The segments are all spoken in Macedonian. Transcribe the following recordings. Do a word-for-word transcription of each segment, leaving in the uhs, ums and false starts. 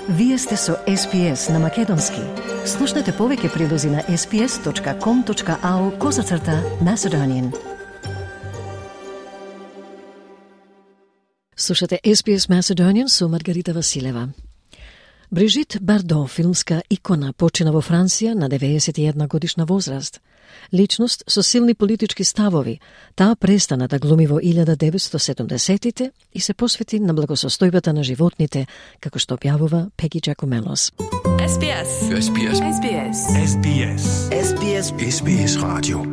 Вие сте со Ес Би Ес на Македонски. Слушнете повеќе прилози на ес би ес точка ком точка ау козацрта Macedonian. Слушате Ес Би Ес Macedonian со Маргарита Василева. Брижит Бардо, филмска икона, почина во Франција на деветдесет и една годишна возраст. Личност со силни политички ставови, таа престана да глуми во илјада деветстотини и седумдесетите и се посвети на благосостојбата на животните, како што објавува Пеги Джакомелос. Ес Би Ес. Ес Би Ес. Ес Би Ес. Ес Би Ес. Ес Би Ес. Ес Би Ес радио.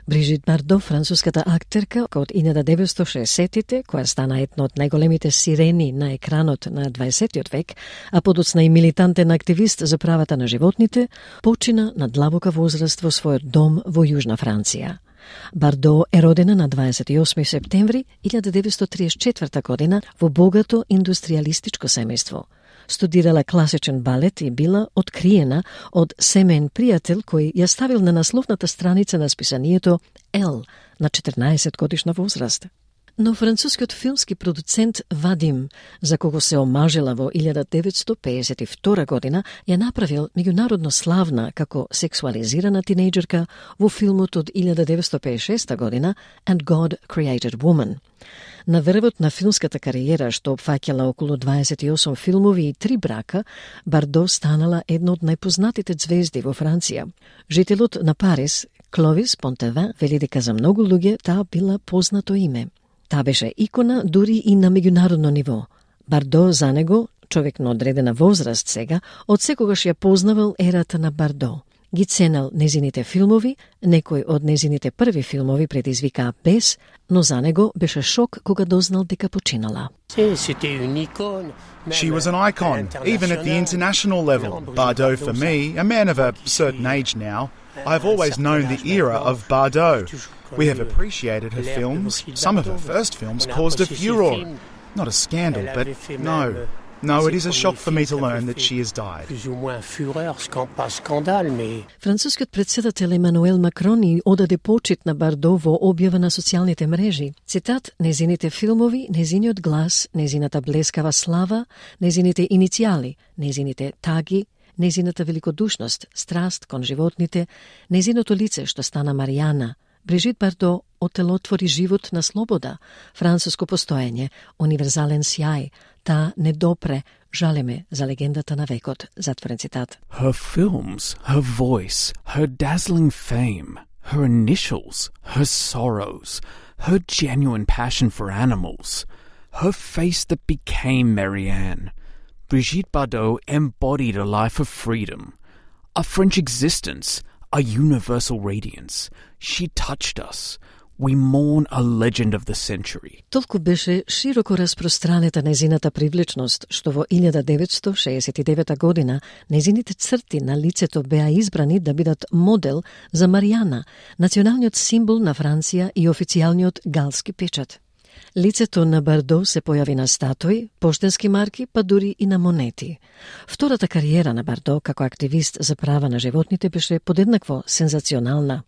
Брижит Бардо, француската актерка од илјада деветстотини и шеесеттите, која стана една од најголемите сирени на екранот на дваесеттиот век, а подоцна и милитантен активист за правата на животните, почина на длабока возраст во својот дом во Јужна Франција. Бардо е родена на дваесет и осми септември илјада деветстотини триесет и четврта година во богато индустријалистичко семејство. Студирала класичен балет и била откриена од семеен пријател кој ја ставил на насловната страница на списанието Ел на четрнаесет годишна возраст. Но францускиот филмски продуцент Вадим, за кого се омажила во илјада деветстотини пеесет и втора година, ја направил меѓународно славна како сексуализирана тинејџерка во филмот од илјада деветстотини пеесет и шеста година And God Created Woman. На врвот на филмската кариера, што опфаќала околу дваесет и осум филмови и три брака, Бардо станала една од најпознатите ѕвезди во Франција. Жителот на Париз, Кловис Понтевин, вели дека за многу луѓе таа била познато име. Таа беше икона дури и на меѓународно ниво. Бардо за него, човек на одредена возраст сега, од секогаш ја познавал ерата на Бардо. Ги ценел незините филмови, некој од незините први филмови предизвикаа бес, но за него беше шок кога дознал дека починала. She was an icon, even at the international level. Bardot, for me, a man of a certain age now, I've always known the era of Bardot. We have appreciated her films. Some of her first films caused a furore. Not a scandal, but no. No, it is a shock for me to learn that she has died. Францускиот претседател Емануел Макрон и одаде почит на Бардо во објава на социјалните мрежи. Цитат: незините филмови, незиниот глас, незината блескава слава, незините иницијали, незините таги, незината великодушност, страст кон животните, незиното лице што стана Маријана. Брижит Бардо отелотвори живот на слобода, француско постоење, универзален сјај. Таа не допре, жалеме за легендата на векот. Затворен цитат. Her films, her voice, her dazzling fame, her initials, her sorrows, her genuine passion for animals, her face that became Marianne. Brigitte Bardot embodied a life of freedom, a French existence, a universal radiance. She touched us. We mourn a legend of the century. Толку беше широко распространета незината привлечност, што во илјада деветстотини шеесет и девета година незините црти на лицето беа избрани да бидат модел за Маријана, националниот символ на Франција и официјалниот галски печат. Лицето на Бардо се појави на статуи, поштенски марки, па дури и на монети. Втората кариера на Бардо како активист за права на животните беше подеднакво сензационална.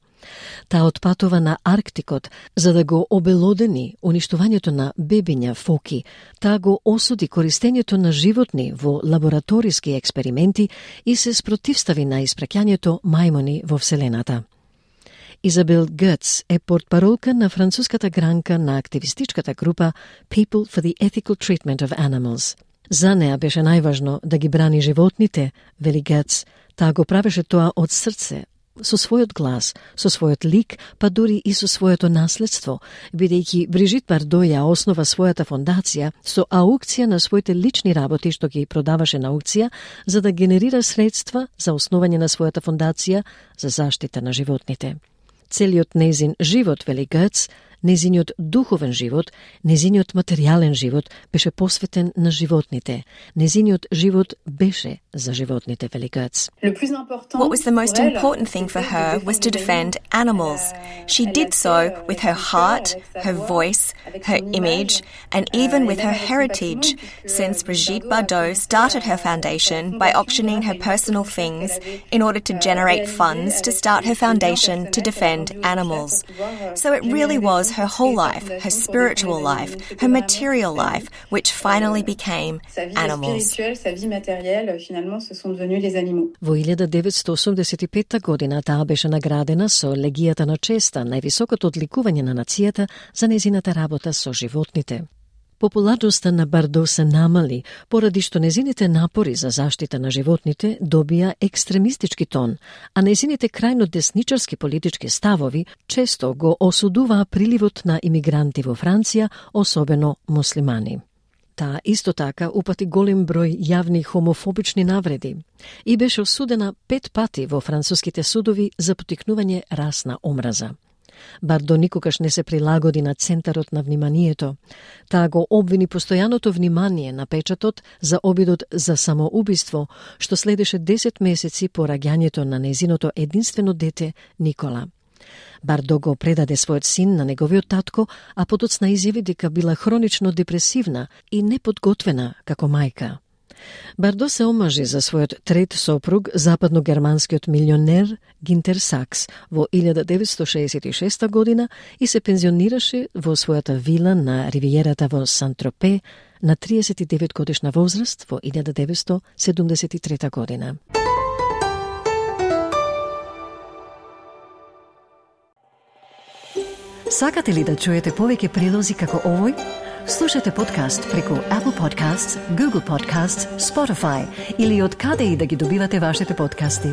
Таа отпатува на Арктикот за да го обелодени уништувањето на бебиња фоки. Таа го осуди користењето на животни во лабораториски експерименти и се спротивстави на испраќањето мајмуни во Вселената. Изабел Гътс е портпаролка на француската гранка на активистичката група People for the Ethical Treatment of Animals. За неа беше најважно да ги брани животните, вели Гътс. Таа го правеше тоа од срце, со својот глас, со својот лик, па дури и со своето наследство, бидејќи Брижит Бардо ја основа својата фондација со аукција на своите лични работи што ги продаваше на аукција за да генерира средства за основање на својата фондација за заштита на животните. Целиот незин живот, вели Гътс, незиниот духовен живот, незиниот материјален живот беше посветен на животните. Незиниот живот беше за животните, вели Гътс. What was the most important thing for her was to defend animals. She did so with her heart, her voice, her image, and even with her heritage, since Brigitte Bardot started her foundation by auctioning her personal things in order to generate funds to start her foundation to defend animals. So it really was was her whole life, her spiritual life, her material life, which finally became animals. Во илјада деветстотини осумдесет и петта година таа беше наградена со Легијата на честа, највисокото одликување на нацијата за незината работа со животните. Популарноста на Бардо се намали, поради што незините напори за заштита на животните добија екстремистички тон, а незините крајно десничарски политички ставови често го осудуваа приливот на имигранти во Франција, особено муслимани. Таа исто така упати голем број јавни хомофобични навреди и беше осудена пет пати во француските судови за поттикнување расна омраза. Бардо никогаш не се прилагоди на центарот на вниманието. Таа го обвини постојаното внимание на печатот за обидот за самоубиство, што следеше десет месеци по раѓањето на незиното единствено дете Никола. Бардо го предаде својот син на неговиот татко, а подоцна изјави дека била хронично депресивна и неподготвена како мајка. Бардо се омажи за својот трет сопруг, западногерманскиот милионер Гинтер Сакс во илјада деветстотини шеесет и шеста година и се пензионираше во својата вила на ривиерата во Сан-Тропе на триесет и девет годишна возраст во илјада деветстотини седумдесет и трета година. Сакате ли да чуете повеќе прилози како овој? Слушате подкаст преку Apple Podcasts, Google Podcasts, Spotify или од каде и да ги добивате вашите подкасти.